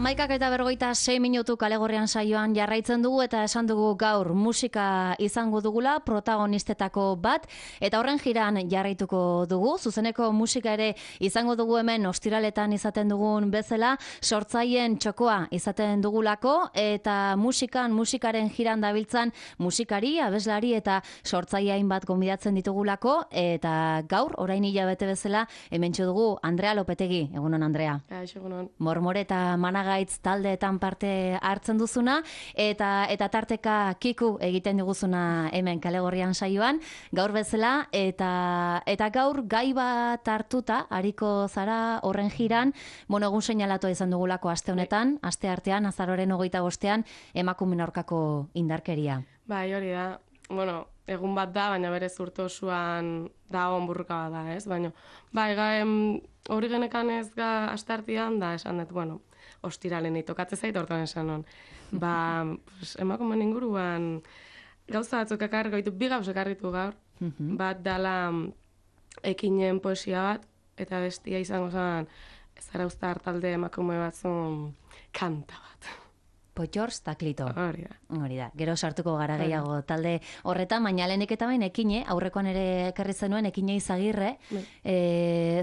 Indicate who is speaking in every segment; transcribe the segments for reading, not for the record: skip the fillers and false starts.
Speaker 1: 11:56 Kalegorrian saioan jarraitzen dugu eta esan dugu gaur musika izango dugula protagonistetako bat eta horren jiran jarraituko dugu. Zuzeneko musika ere izango dugu hemen ostiraletan izaten dugun bezala, sortzaileen txokoa izaten dugulako eta musikaren jiran dabiltzan musikari, abeslari eta sortzaile hainbat gonbidatzen ditugulako eta gaur orain hilabete bezala hementxo dugu Andrea Lopetegi. Egunon Andrea.
Speaker 2: Egunon.
Speaker 1: Mormore eta Managaitz taldeetan parte hartzen duzuna eta tarteka kiku egiten diguzuna hemen Kalegorrian saioan gaur bezala eta gaur gai bat hartuta ariko zara horren jiran, egun seinalatua izan dugulako aste honetan, aste artean azaroren 25ean emakumeen aurkako indarkeria.
Speaker 2: Bai, hori da. Egun bat da, baina berez urte osoan dagoen burruka bat da, ez? Baina, hori genekan ez astartian da, esan dut, ostiralen itokatze zait, hortan esan non. Emakumeen inguruan gauza batzuk ekarriko ditu, bi gauz ekarritu gaur, bat dala ekinen poesia bat, eta bestia izango zen Zarauztar talde emakume batzun kanta bat.
Speaker 1: Potxors eta Klito.
Speaker 2: Hori da.
Speaker 1: Gero sartuko gara gehiago talde horretan, baina lehenik eta bain ekine, aurrekoan ere ekarri zenuen ekine Izagirre,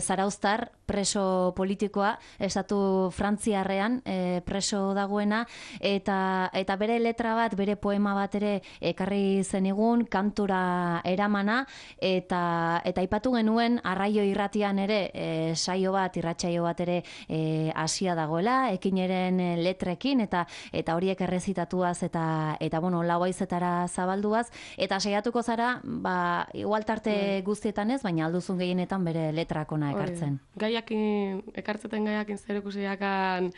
Speaker 1: Zarauztar preso politikoa, estatu Frantziarrean preso dagoena, eta bere letra bat, bere poema bat ere ekarri zenigun, kantura eramana, eta aipatu genuen arraio irratian ere saio bat, irratsaio bat ere hasia dagoela, ekineren letrekin, eta horiek errezitatuaz eta lau haizetara zabalduaz, eta saiatuko zara, igual tarte guztietan ez, baina alduzun gehienetan bere letrakona ekartzen.
Speaker 2: Ekartzeten gaiakin zer ikusiakan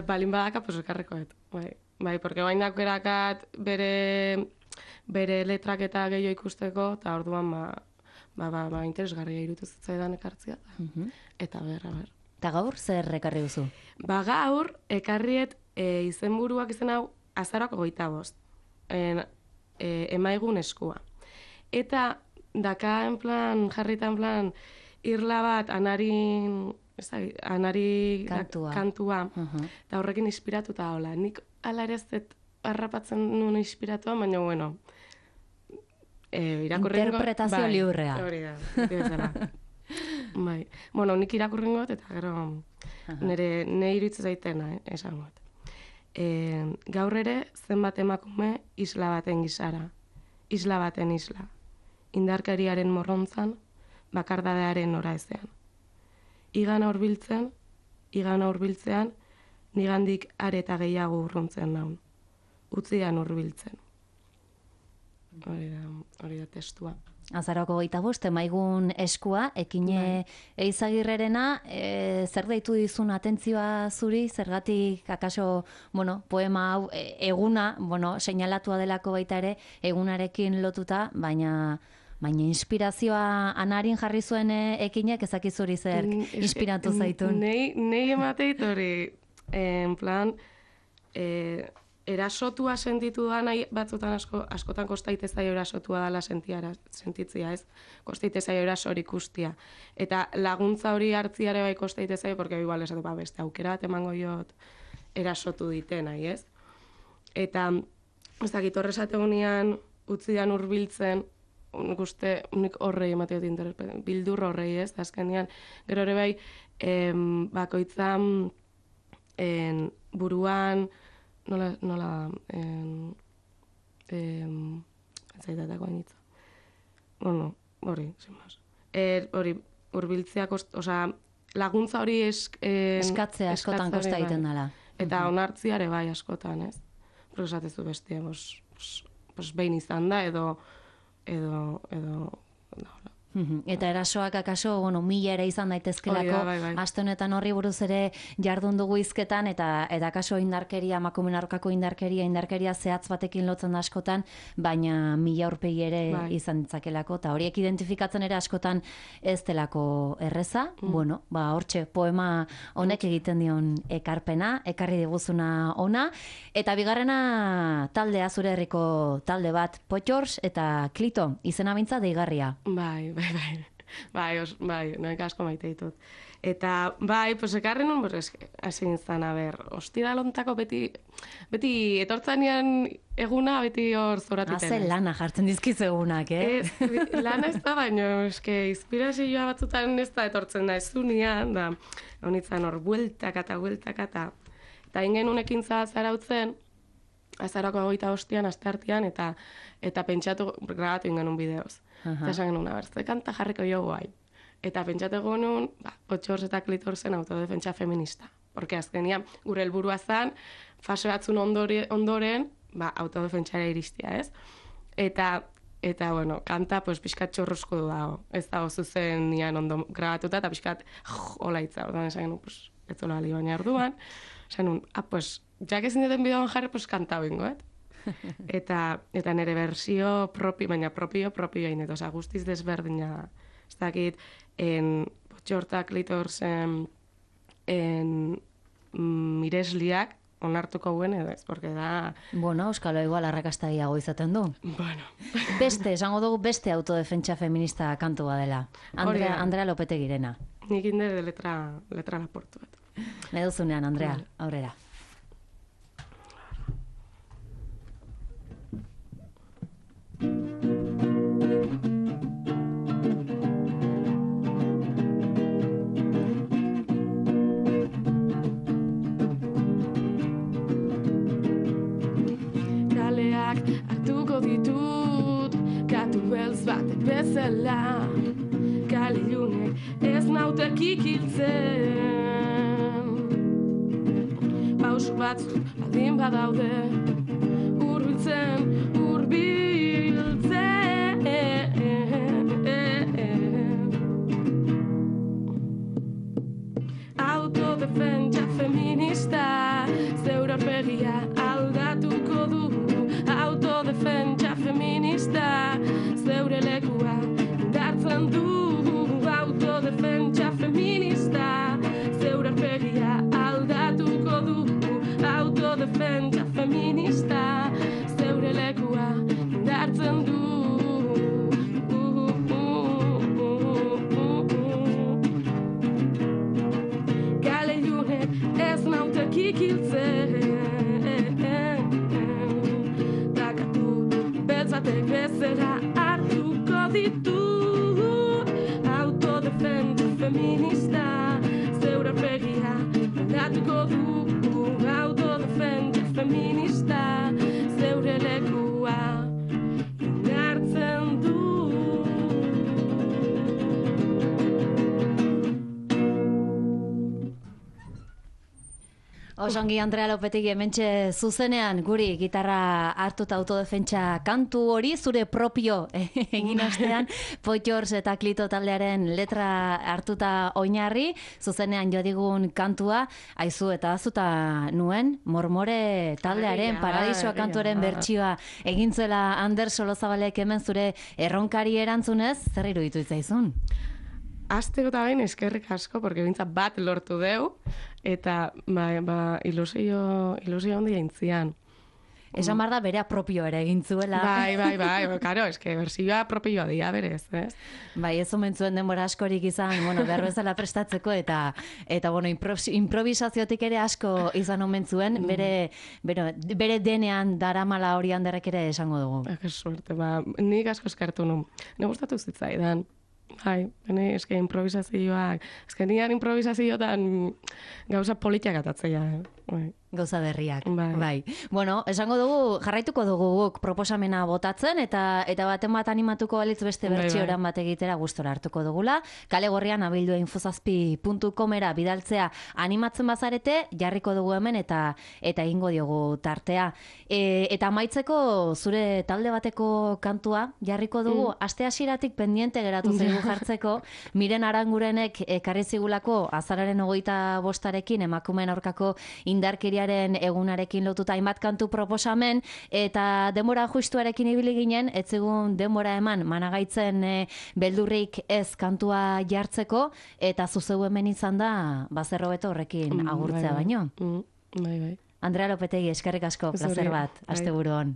Speaker 2: balin badaka, pues ekarrekoet. Bai, porque bain dakerakat bere letrak eta gehiago ikusteko, eta orduan interesgarria irutu zitzaidan ekartzia. Eta ber.
Speaker 1: Eta gaur zer ekarri duzu?
Speaker 2: Gaur ekarriet izenburuak izen hau azarako 25. Emaigun eskua. Eta daka jarrita en plan irla bat anari kantua. Eta horrekin inspiratuta hola. Nik ala ere ez harrapatzen nuen inspiratua, baina irakurrengo.
Speaker 1: Interpretazio liurrea.
Speaker 2: Hori da, bezala. Bai. Nik irakurrengot eta gero nire iritzu zaitena, esangot. Gaur ere zenbat emakume isla baten gizara. Isla baten isla. Indarkariaren morrontzan, bakardadearen ora ezean. Igana hurbiltzean, nigandik are eta gehiago urruntzen naun. Utzian hurbiltzen. Hori da testua.
Speaker 1: Azaroko 25, emaigun eskua, ekine Izagirrerena, zer deitu dizun atentzioa zuri, zergatik akaso, poema hau eguna, seinalatua delako baita ere, egunarekin lotuta, baina inspirazioa anarin jarri zuen ekinek, ezakizuri zer inspiratu zaitun.
Speaker 2: Nei emateit hori, en plan, erasotua sentitu da nahi batzutan askotan kostaite zaio erasotua dela sentitzia, ez? Kostaite zaio erasori ikustia. Eta laguntza hori hartziare bai kostaite zaio, porque igual esate, beste aukera emango jot erasotu diten, nahi, ez? Eta, ez dakit horrezate gunean, utzidan hurbiltzen, nik horrei emateot bildur horrei, ez? Azkenean, gero ere bai, bakoitzan buruan, nola zaitatako hainitza. Hori, zinbaz. Hori, urbiltzeak, laguntza hori
Speaker 1: eskatzea askotan kosta egiten dela.
Speaker 2: Eta onartziare bai askotan, ez? Prosatezu bestia, behin izan da, edo
Speaker 1: Eta erasoak akaso, mila ere izan daitezkelako, aste honetan horri buruz ere jardun dugu hizketan, eta akaso indarkeria, emakumeen aurkako indarkeria zehatz batekin lotzen da askotan, baina mila aurpegi ere izan ditzakelako, eta horiek identifikatzen ere askotan ez delako erreza, hortxe, poema honek egiten dion ekarpena, ekarri diguzuna ona, eta bigarrena taldea zure herriko talde bat, Potxors eta Klito, izena bintza deigarria.
Speaker 2: Bai, noek asko maite ditut. Eta, bai, pues ekarri nun, hasi nintzen, ostiralontako beti etortzanean eguna, beti hor zoratiten.
Speaker 1: Haze lana jartzen dizkizu egunak,
Speaker 2: Lana ez da, baina, inspirazioa batzutan ez da etortzen da, ez zunean, da, honitzen hor, bueltakata. Eta ingen unekintza zarautzen, azarako 25 asteartean, eta pentsatu, grabatu ingen bideoz. Eta esan genuen, ze kanta jarriko jo guai. Eta pentsatu genuen, Potxors eta Klitorsen autodefentsa feminista. Porque azkenian, gure helburua zen, fase batzun ondoren, autodefentsara iristia, ez? Eta bueno, kanta, pixkat txorrosko du dago. Ez dago zuzen nian ondo grabatuta, eta pixkat, hola itza. Ordan esan genuen, ez zola bali baina orduan. Esan genuen, jak ezin duten bideoan jarri, kanta bingo, Eta nire versio baina propio egin, eta guztiz desberdina. Ez dakit, Potxorta Klitorsen miresliak onartuko guen edo ez, porque da...
Speaker 1: Bueno, euskalo igual arrakastagiago izaten du.
Speaker 2: Bueno.
Speaker 1: Esango dugu beste autodefentsa feminista kantua dela. Andrea Lopetegirena.
Speaker 2: Nik indere letra laportu bat.
Speaker 1: Nahi duzunean, Andrea, aurrera.
Speaker 2: Hartuko ditut, katu beltz batek bezala, kale ilunek ez naute kikiltzen. Pausu batzuk baldin badaude, hurbiltzen. Autodefentsa feminista, zeure aurpegia aldatuko du. Autodefentsa feminista, zeure lekua indartzen du. Autodefentsa feminista, zeure aurpegia aldatuko du. Autodefentsa feminista, zeure lekua indartzen du. Kale ilunek ez naute kikiltzen. Batek bezera hartuko ditut. Autodefentsa feminista, zeure aurpegia aldatuko du. Autodefentsa feminista, zeure lekua indartzen du.
Speaker 1: Osongi, Andrea Lopetegi, hementxe zuzenean guri gitarra hartuta autodefentsa kantu hori, zure propio egin ostean, Potxors eta Klito taldearen letra hartuta oinarri, zuzenean jo digun kantua, aizu eta azuta nuen, Mormore taldearen, Paradisoa kantuaren bertsioa egintzuela Ander Solozabalek hemen zure erronkari erantzunez, zer iruditu itzaizun?
Speaker 2: Azteko eta bain eskerrik asko, porque bintzat bat lortu deu, eta ilusio handia intzian.
Speaker 1: Esan behar da berea propio ere egin zuela.
Speaker 2: Bai, karo, eske bersioa propioa dia berez, ez?
Speaker 1: Bai, ez omen zuen denbora askorik izan, behar bezala prestatzeko, eta improvisaziotik ere asko izan omen zuen, bere denean daramala hori Anderrek ere esango dugu.
Speaker 2: Que suerte, nik asko eskertu nun. Ne gustatu zitzaidan. Bai, eske improvisazioak, nian improvisazioetan gauza politiak atatzea.
Speaker 1: Gauza berriak, bai. Bueno, esango dugu, jarraituko dugu guk proposamena botatzen, eta baten bat animatuko balitz beste bertsioran bat egitera gustora hartuko dugula. Kale Gorrian abildua infozazpi.comera bidaltzea animatzen bazarete, jarriko dugu hemen eta egingo diogu tartea. Eta amaitzeko zure talde bateko kantua jarriko dugu, aste hasieratik pendiente geratu zaigu jartzeko, Miren Arangurenek ekarri zigulako azararen 25 emakumeen aurkako indarkeriaren egunarekin lotuta hainbat kantu proposamen, eta denbora justuarekin ibili ginen, ez zigun denbora eman managaitzen beldurrik ez kantua jartzeko, eta zuzeu hemen izan da, bazerro beto horrekin agurtzea baino.
Speaker 2: Bai.
Speaker 1: Andrea Lopetegi, eskerrik asko, plazer bat, asteburuan.